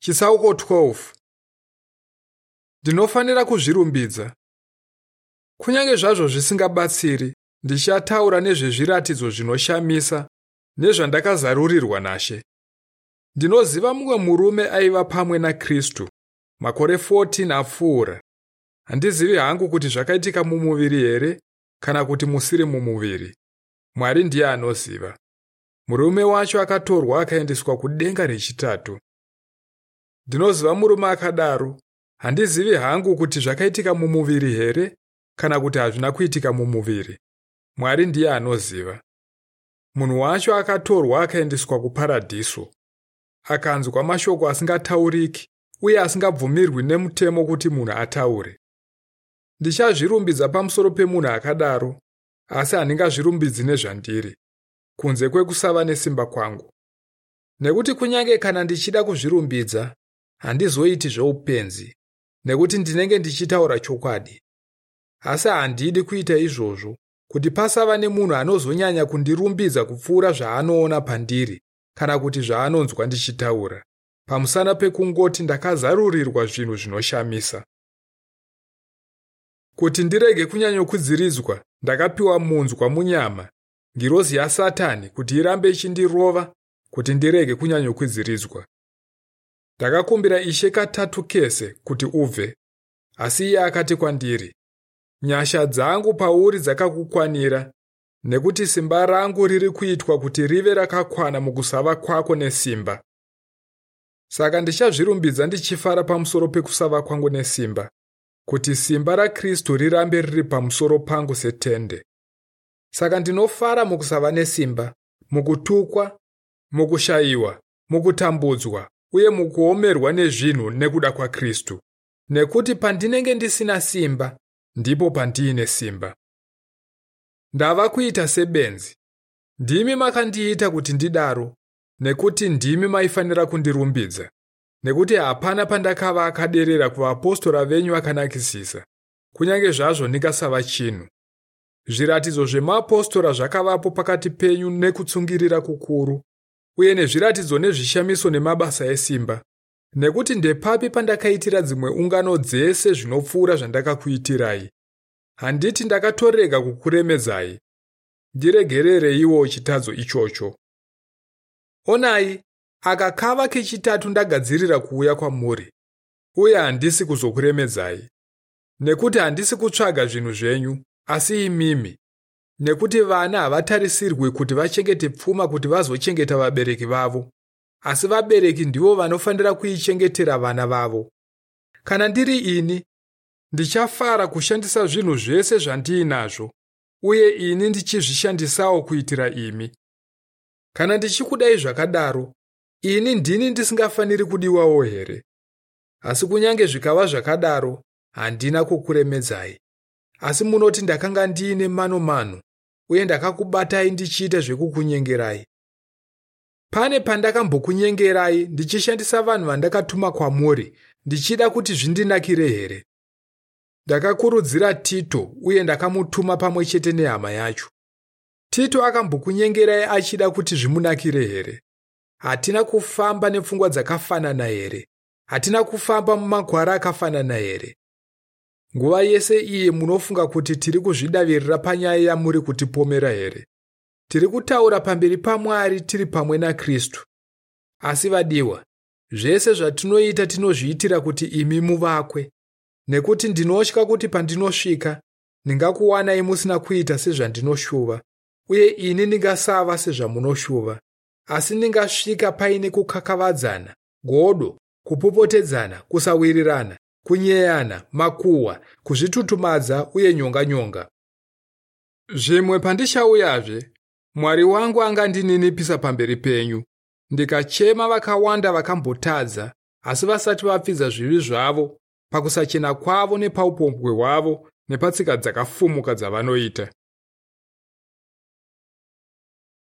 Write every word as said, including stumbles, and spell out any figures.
Chitsauko twelve. Ndinofanira kuzvirumbidza. Kunyange zvazvo zvisingabatsiri, ndichataura nezvezviratidzo zvinoshamisa nezvandakazarurirwa naShe. Ndinoziva mumwe murume aiva pamwe naKristu makore fourteen apfuura. Handizivi hangu kuti zvakaitika mumuviri here kana kuti musiri mumuviri. Mwari ndiye anoziva. Murume wacho akatorwa akaendeswa kudenga rechitatu. Ndinoziva murume akadaro. Handizivi hangu kuti zvakaitika mumuviri here kana kuti hazvina kuitika mumuviri. Mwari ndiye anoziva. Munhu wacho akatorwa akaendeswa kuparadhiso. Akanzwa mashoko asingatauriki uye asingabvumirwi nemutemo kuti munhu ataure. Ndichazvirumbidza pamusoro pemunhu akadaro, asi handingazvirumbidzi nezvandiri, kunze kwekusava nesimba kwangu. Nekuti kunyange kana ndichida kuzvirumbidza, handizoiti zveupenzi, nekuti ndinenge ndichitaura chokwadi. Asi handidi kuita izvozvo, kuti pasava nemunhu anozonyanya kundirumbidza kupfuura zvaanoona pandiri kana kuti zvaanonzwa ndichitaura, pamusana pekungoti ndakazarurirwa zvinhu zvinoshamisa. Kuti ndirege kunyanyokwidziridzwa, ndakapiwa munzwa munyama, ngirozi yaSatani, kuti irambe ichindirova, kuti ndirege kunyanyokwidziridzwa. Ndakakumbira Ishe katatu kese kuti ubve, asi iye akati kwandiri, nyasha dzangu pauri dzakakukwanira, nekuti simba rangu riri kuitwa kuti rive rakakwana mukusava kwako nesimba. Saka ndichazvirumbidza ndichifara pamusoro pekusava kwangu nesimba, kuti simba raKristu rirambe riri pamusoro pangu setende. Saka ndinofara mukusava nesimba, mukutukwa, mukushayiwa, mukutambudzwa uye mukuomerwa nezvinhu nekuda kwaKristu. Nekuti pandinenge ndisina simba, ndipo pandiine simba. Ndava kuita sebenzi. Ndimi makandiita kuti ndidaro, nekuti ndimi maifanira kundirumbidza. Nekuti hapana pandakava akaderera kuvapostora venyu vakanakisisa, kunyange zvazvo ndingasava chinhu. Zviratidzo zvemapostora zvakavapo pakati penyu nekutsungirira kukuru, uye nezviratidzo nezvishamiso nemabasa esimba. Nekuti ndepapi pandakaitira dzimwe ungano dzese zvinopfuura zvandakakuitirai? Handiti ndakatorega kukuremedzai? Ndiregerereiwo chitadzo ichocho. Onai, aka kava kechitatu ndagadzirira kuuya kwamuri, uye handisi kuzokuremedzai. Nekuti handisi kutsvaga zvinhu zvenyu, asi imimi. Nekuti vana havatarisirwi kuti vachengete pfuma kuti vazochengeta vabereki vavo, asi vabereki ndivo vanofanira kuichengetera vana vavo. Kana ndiri ini, ndichafara kushandisa zvinhu zvese zvandiinazvo, uye ini ndichizvishandisawo kuitira imi. Kana ndichikudai zvakadaro, ini ndini ndisingafaniri kudiwawo here? Asi kunyange zvikava zvakadaro, handina kukuremedzai. Asi munoti ndakanga ndiine mano mano, uye ndakakubatai ndichiita zvekukunyengerai. Pane pandakambokunyengerai ndichishandisa vanhu vandakatuma kwamuri, ndichida kuti zvindinakire here? Ndakakurudzira Tito uye ndakamutuma pamwe chete nehama yacho. Tito akambokunyengerai achida kuti zvimunakire here? Hatina kufamba nepfungwa dzakafanana here? Hatina kufamba mumakwara akafanana here? Nguva yese iye munofunga kuti tiri kuzvidavirira panyaya yamuri kutipomera here? Tiri kutaura pamberi paMwari tiri pamwe naKristu. Asi vadiwa, zvese zvatinoita tinozviitira kuti imi muvakwe. Nekuti ndinotya kuti pandinosvika, ndingakuwanai musina kuita sezvandinoshuva, uye ini ndingasava sezvamunoshuva. Asi ndingasvika paine kukakavadzana, godo, kupopotedzana, kusawirirana, kunyeyana, makuhwa, kuzvitutumadza uye nyonga-nyonga. Zvimwe pandichauyazve, Mwari wangu angandininipisa pamberi penyu, ndikachema vakawanda vakambotadza, asi vasati vapfidza zvivi zvavo, pakusachena kwavo nepaupombwe hwavo nepatsika dzakafumuka dzavanoita.